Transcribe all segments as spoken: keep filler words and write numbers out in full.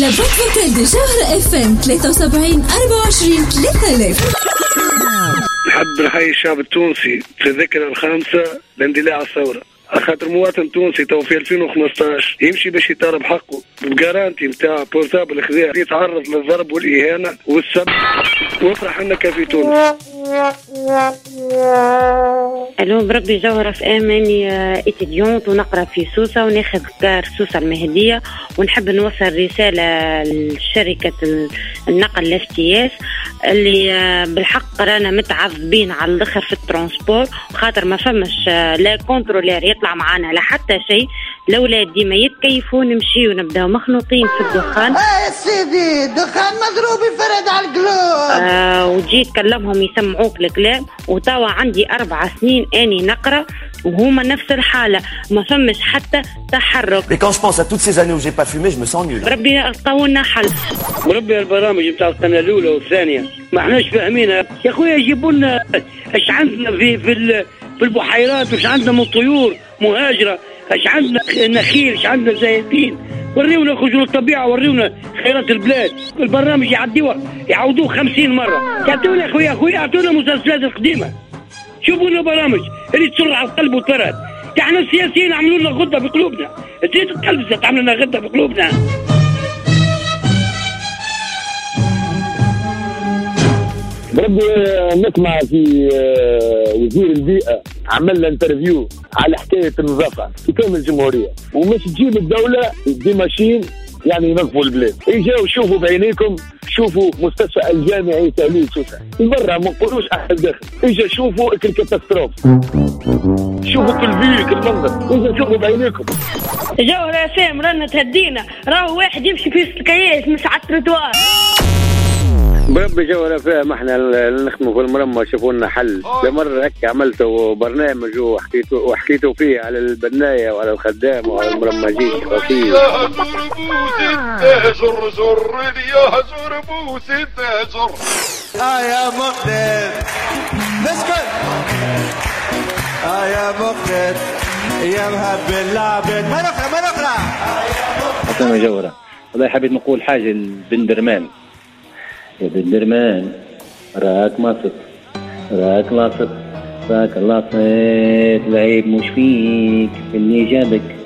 La boîte vocale de جوهرة اف ام ثلاثة وسبعين أربعة وعشرين ثلاثة آلاف. نحب نحيي الشعب التونسي في الذكرى الخامسة لاندلاع الثورة، خاطر مواطن تونسي تو في ألفين وخمسطاش يمشي باش يطالب حقه ب garantie نتاع portable خذاه، يتعرض للضرب والإهانة والسب، وافرح انك في تونس. الو بربي جوهرة اف ام، اني étudiante ونقرا في سوسة وناخذ car سوسة المهدية، ونحب نوصل رسالة لشركة النقل الاف تي اس اللي بالحق رانا متعذبين على الاخر في ال transport، خاطر ما فماش لا contrôleur يطلع معانا لا حتى شيء. الاولاد ديما يتكيفوا، نمشيو نبداو مخنوقين في الدخان. اه يا سيدي دخان مضروب يفرد على القلوب. آه وتجي تكلمهم يسمعوك الكلام. وتوا عندي أربع سنين أني نقرأ وهما نفس الحالة، ما فمش حتى تحرك. Mais quand je pense à toutes ces années où j'ai pas fumé, je me sens nul. ربي لقاونا حل. وربي البرامج نتاع القناة الأولى والثانية ما احناش فاهمينها يا خويا. يجيبوا لنا اش عندنا في في في البحيرات، واش عندنا من طيور مهاجرة، اش عندنا نخيل، اش عندنا زيتين. وريونا خرجوا للطبيعة، وريونا خيرات البلاد. البرنامج يعديوه يعاودوه خمسين مرة. يعطونا خويا خويا يعطونا المسلسلات القديمة، شوفوا لنا برامج اللي تسر على القلب وتفرد. احنا السياسيين عملوا لنا غده في قلوبنا، تزيد القلب تعمل لنا غده في قلوبنا. بربي نسمع في وزير البيئة عمل interview على حكاية النظافة في كامل الجمهورية، ومش تجيب الدولة des machines يعني ينظفوا البلاد. اجاو شوفوا بعينيكم، شوفوا مستشفى الجامعي تهليل سوسة برا، ما نقولوش احد داخل. اجا شوفوا ال catastrophe، شوفوا كل vue كل منظر، اجا شوفوا بعينيكم. جوهرة اف ام رانا تهدينا، راهو واحد يمشي في الكياس مش على التروتوار. بربي جوهرة اف ام احنا نخدموا في المرمى، شوفوا لنا حل. مرة هكا عملتوا برنامج وحكيتوا وحكيتوا فيه على البناية وعلى الخدام وعلى المرمجين. يا زر زر يا زر بوس زر اه يا مقداد نسكت، اه يا مقداد يا مهبل العباد. ما نقرا ما نقرا حسنا جوهرة. والله حبيت نقول حاجة لبندرمان. يا بندرمان راك ماسط، راك لاصق، راك لاصق، العيب مش فيك، اللي جابك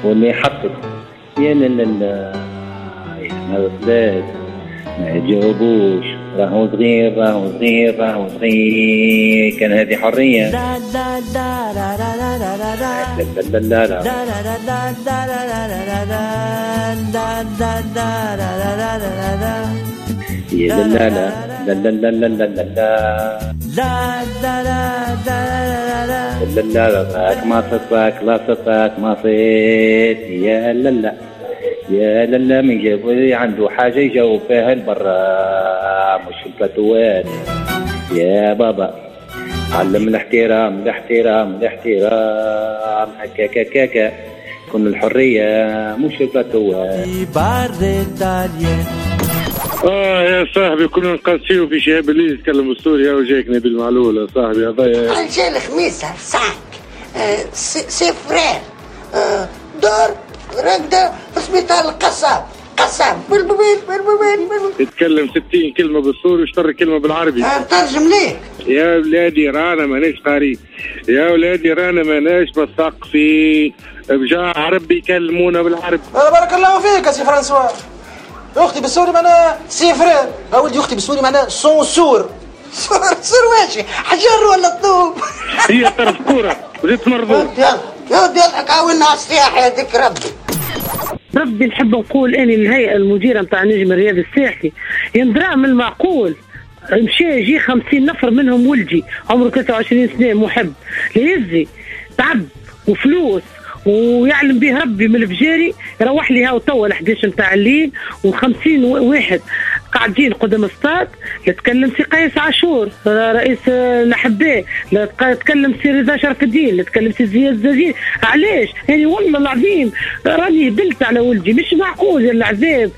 واللي حطك. يا لا لا لا يا البلاد ما تجاوبوش، راهو صغير راهو صغير راهو صغير. كان هذه حرية. لا لا لا لا لا لا لا لا لا يا لا لا لا لا لا لا لا لا لا لا لا لا راك ما صدق لا صدق ما صيت. يا لا لا يا لا لا من جاب عنده حاجة يجاوب فيها البرا مش البلاتوات. يا بابا علم الاحترام الاحترام الاحترام، هكا كاكا كن الحرية مش البلاتوات. اه يا صاحبي كنا نقاسيو في شهاب الليل يتكلم السوري وجايك نبيل معلول يا صاحبي. هذايا رجال خميسه ساك c'est frère دور رقده في سبيطار القصاب قصاب بالبوبيل بالبوبيل. يتكلم ستين كلمة بالسوري واشتر كلمة بالعربي. ترجم ليك يا ولادي رانا ماناش قاري، يا ولادي رانا ماناش مثقفين، بجاه عربي يكلمونا بالعربي. بارك الله فيك يا سي فرانسوا. اختي بالسوري معناها c'est frère، ولدي اختي بالسوري معناها سونسور. سور سور واشي حجر ولا طوب؟ هي طرف كورة وزيد مرضوط. يلا يا ودي يضحك عاونا على السياحة يا ذيك ربي. ربي نحب نقول اني الهيئة المديرة نتاع نجم الرياضي الساحلي يندرى من المعقول مشى يجي خمسين نفر منهم ولدي عمره ثلاثة وعشرين سنة محب ليزي تعب وفلوس ويعلم به ربي من الفجاري، يروح لي هاو توا الحداش نتاع الليل وخمسين واحد قاعدين قدام الستاد. لا تكلم سي قيس عاشور رئيس الاحباء، لا تكلم سي رضا شرف الدين، لا تكلم سي زياد الزازين. علاش؟ يعني والله العظيم راني هبلت على ولدي، مش معقول العذاب.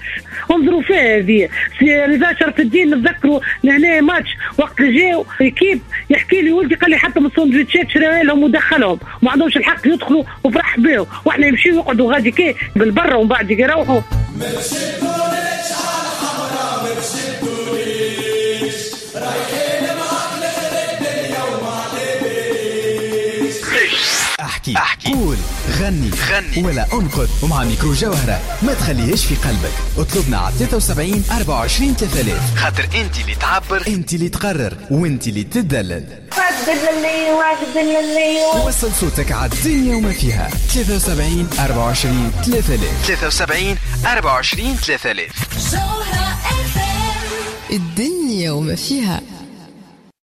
انظروا فيها هذه سي رضا شرف الدين نتذكروا لهنا ماتش وقت اللي جاو équipe يحكي لي ولدي قال لي حتى من السندويتشات شراها لهم ودخلهم وما عندهمش الحق يدخلوا وفرح بهم، واحنا يمشيو يقعدوا غادي كي بالبره ومن بعد يروحوا. احكي، احكي، قول، غني، غني ولا انقد، ومع ميكرو جوهرة ما تخليهاش في قلبك. اطلبنا على ثلاثة وسبعين أربعة وعشرين ثلاثة آلاف، خاطر انت اللي تعبر، انت اللي تقرر، وانت اللي تدلل. وصل صوتك على الدنيا وما فيها. ثلاثة وسبعين أربعة وعشرين ثلاثة آلاف، ثلاثة وسبعين أربعة وعشرين ثلاثة آلاف. الدنيا وما فيها.